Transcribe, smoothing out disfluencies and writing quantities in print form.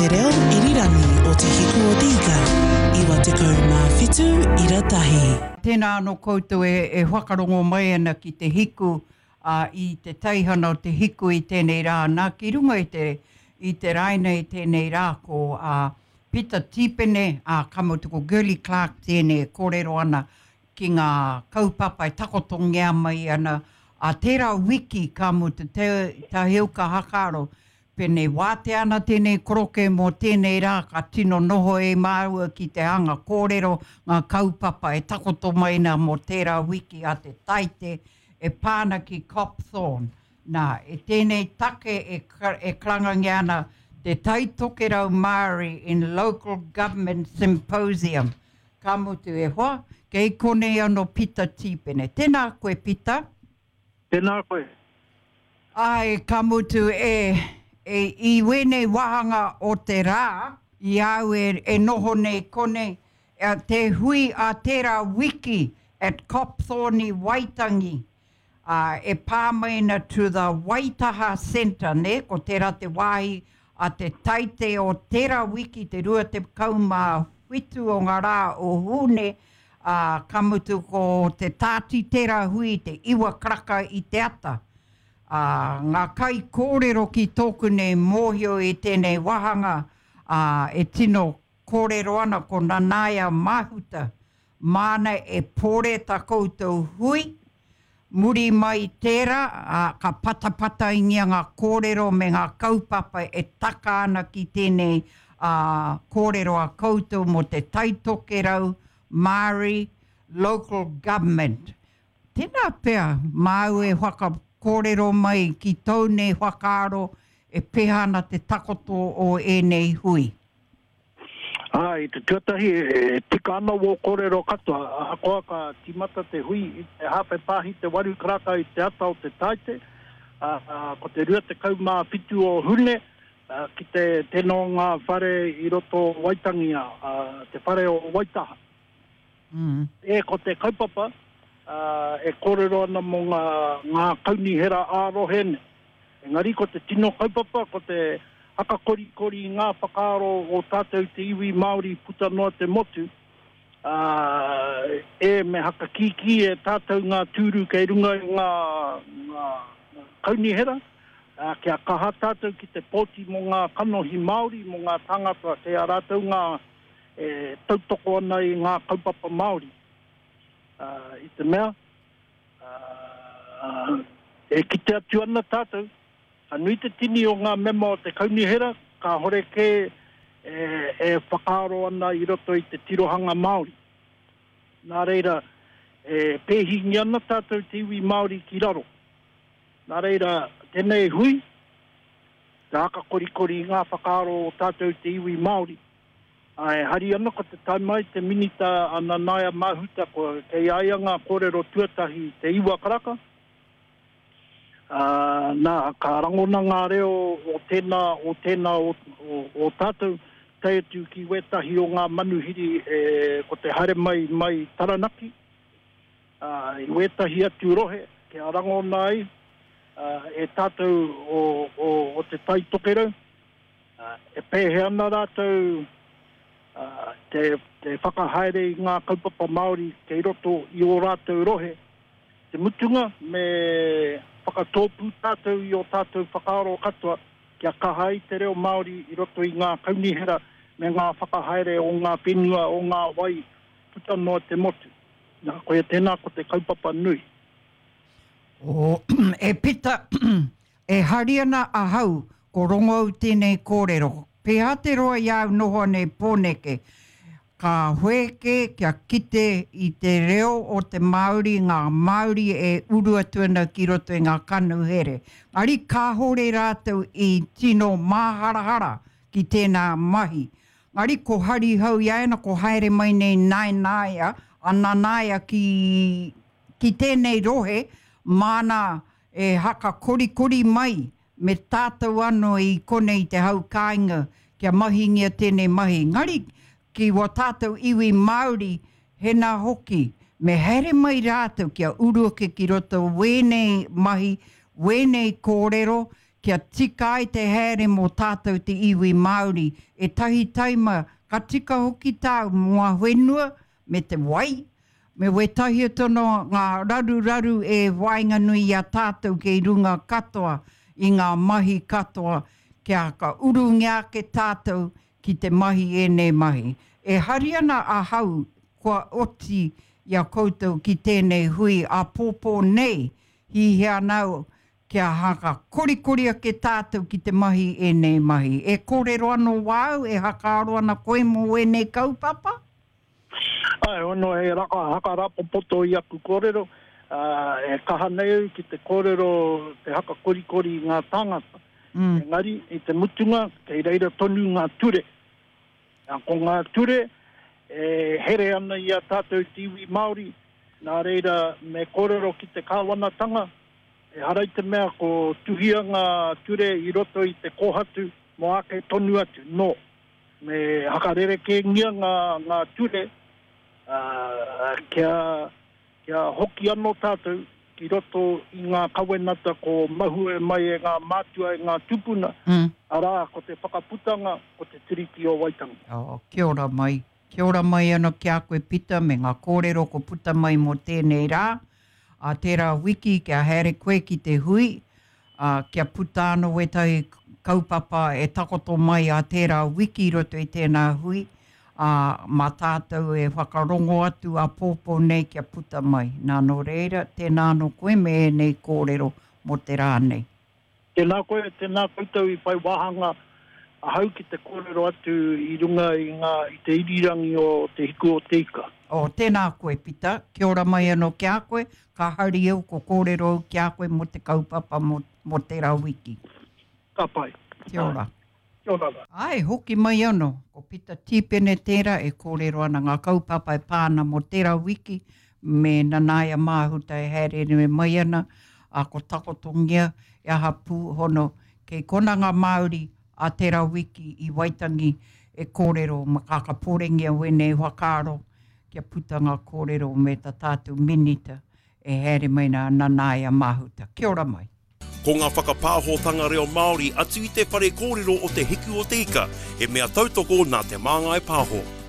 Te reo irirangi o Te Hiku o Te Ika, 97 ira tahi. Tēnā anō koutou e whakarongo mai ana ki te hiku, ā, i te teihana o te hiku i tēnei rā, nā, ki runga i te, i te raina i tēnei rā ko, ā, Pita Tīpene, ā, ka mutu ko Girlie Clarke tēnei e kōrero ana ki ngā kaupapa e takotongia mai ana, ā tērā wiki ka mutu te Taheuka Hakaaro, pēnei wātea ana tēnei koroke mō tēnei rā ka tino noho e māua ki te hanga kōrero ngā kaupapa e takoto mai ana mō tērā wiki a te Taite e pā ana ki Copthorne. Nā, e tēnei take e, e karangangia ana te Tai Tokerau Māori in Local Government Symposium. Ka mutu e hoa, kei konei ano Pita Tīpene. Tēnā koe Pita. Tēnā koe. Āe, ka mutu e, e, i wēnei wāhanga o te rā, i a au e, e noho nei konei, e, te hui a tērā wiki at Copthorne i Waitangi, ā, e pā mai ana to the Waitaha Centre, nē, ko tērā te wāhi a te Taite o tērā wiki, te 27 o ngā rā o Hūne, ā, ka mutu ko te tāti tērā hui i te iwa karaka i te ata. Ā, ngā kaikōrero ki tōku nei mōhio i tēnei wāhanga, ā, e tino kōrero ana ko Nanaia Mahuta, Māna e pore ta koutou hui, muri mai i tērā, ā, ka patapataingia ngā kōrero me ngā kaupapa e taka ana ki tēnei, ā, kōrero a koutou mō te Taitokerau Māori Local Government. Tēnā pea, māu e whakakōrero mai ki tōu nei whakaaro e pēhea ana te takoto o ēnei hui. Ā, i te tuatahi, e tika ana wō kōrero katoa, ahakoa ka tīmata te hui i te hāwhe pāhi te waru karaka i te ata o te Tāite, ā, ko te 27 o Hune, ki te tēnā o ngā whare i roto o Waitangi, ā, te whare o Waitaha. E, ko te kaupapa, ā, e kōrero ana mō ngā, ngā kaunihera ā-rohe nei. Engari ko te tino kaupapa ko te hakakorikori i ngā whakaaro o tātou te iwi Māori puta noa te motu, ā, e me hakakīkī e tātou ngā tūru kei runga i ngā, ngā kaunihera, ā, kia kaha tātou ki te pōti mō ngā kanohi Māori, mō ngā tāngata kei a rātou ngā e tautoko ana i ngā kaupapa Māori. Ā, i te mea, Ā, e kite atu ana tātou, ka nui te tini o ngā mema o te kaunihera kāhore kē e whakaaro ana i roto i te tirohanga Māori. Nā reira, e pēhingia ana tātou te iwi Māori ki raro. Nā reira, tēnei hui, te hakakorikori i ngā whakaaro o tātou te iwi Māori. Ā, e hari ana ko te tae mai te Minita a Nanaia Mahuta kua kei a ia ngā kōrero tuatahi i te iwa karaka, ā, nā, ka rangona ngā reo o tēnā, o tēnā o, o, o tātou, tae atu ki wētahi o ngā manuhiri e, ko te haere mai mai Taranaki, ā, i wētahi atu rohe kia rangona ai, ā, e tātou o, o, o Te Tai Tokerau. E pēhea ana rātou te whakahaere i ngā kaupapa Māori kei roto i ō rātou rohe. Te mutunga, me whakatōpū tātou i ō tātou whakaaro katoa kia kaha ai te reo Māori i roto i ngā kaunihera me ngā whakahaere o ngā whenua, o ngā wai puta noa te motu. Nā, koia tēnā ko te kaupapa nui. E Pita, E hari ana ahau ko rongo au tēnei kōrero. Pēhea te roa i a au noho ana i Pōneke, ka whēke kia kite i te reo o te Māori, ngā Māori e uru atu ana ki roto i ngā kanuhere. Engari kāore rātou i tino māharahara ki tēnā mahi. Engari ko Harihau i a ia ko haere mai nei Naenaea, a Nanaia ki, ki tēnei rohe, māna E haka korikori mai me tātou anō i konei i te hau kāinga kia mahingia tēnei mahi. Engari, ki wā tātou iwi Māori, hēnā hoki, me haere mai rātou kia uru ake ki roto wēnei mahi, wēnei kōrero, kia tika ai te haere mō tātou te iwi Māori, ētahi taima ka tika hoki tāu mō ngā whenua me te wai, me wētahi atu anō ngā raruraru e waenganui i a tātou kei runga katoa i ngā mahi katoa kia ka urungia ake tātou ki te mahi ēnei mahi. E hari ana ahau kua oti i a koutou ki tēnei hui āpōpō nei, hihia ana au kia haka korikori ake tātou ki te mahi ēnei mahi. E kōrero anō wāu, e hakaaro ana koe mō ēnei kaupapa? Āe, ono he raka hakarapopoto i aku kōrero, ā, e kaha nei au ki te kōrero te haka korikori i ngā tāngata. Engari, i te mutunga, kei reira tonu ngā ture. Ā, ko ngā ture e here ana i a tātou te iwi Māori, nā reira me kōrero ki te kāwanatanga, Ehara i te mea ko tuhia ngā ture i roto i te kōhatu mō ake tonu atu, nō. Me hakarerekēngia ngā, ngā ture, ā, kia, kia hoki anō tātou ki roto i ngā kawenata ko mahue mai e ngā mātua, e ngā tūpuna, arā, ko te whakaputanga o te Tiriti o Waitangi. Oh, kia ora mai. Kia ora mai ano ki a koe Pita me nga korero ko puta mai mo tenei ra, a tera wiki kia haere koe ki te hui, a kia puta ano wetahi kaupapa e takoto mai a tera wiki i roto i tena hui, a ma tatou e whakarongo atu apopo nei kia puta mai. Na no reira, tena ano koe me enei korero mo te ra nei. Tēnā koe, tēnā koutou i whai wāhanga ahau ki te kōrero atu i runga i ngā, i te irirangi o Te Hiku o Te Ika. Oh, tēnā koe, Pita. Kia ora mai anō ki a koe. Ka hari au ko kōrero au ki a koe mō te kaupapa mō, mō tērā wiki. Ka pai. Kia ora. Kia ora rā. Āe, hoki mai anō. Ko Pita Tīpene tērā e kōrero ana ngā kaupapa e pā ana mō tērā wiki me Nanaia Māhuta e haereere mai ana, ā, ko takotongia e aha pū hono kei kona ngā Māori ā tērā wiki i Waitangi e kōrero ma kākapōrengia wēnei whakaaro kia puta ngā kōrero me tā tātou Minita e haere mai nā Nanaia Māhuta. Kia ora mai. Ko ngā whakapāhotanga reo Māori atu i te whare kōrero o Te Hiku o Te Ika, he mea tautoko nā Te Māngai Pāho.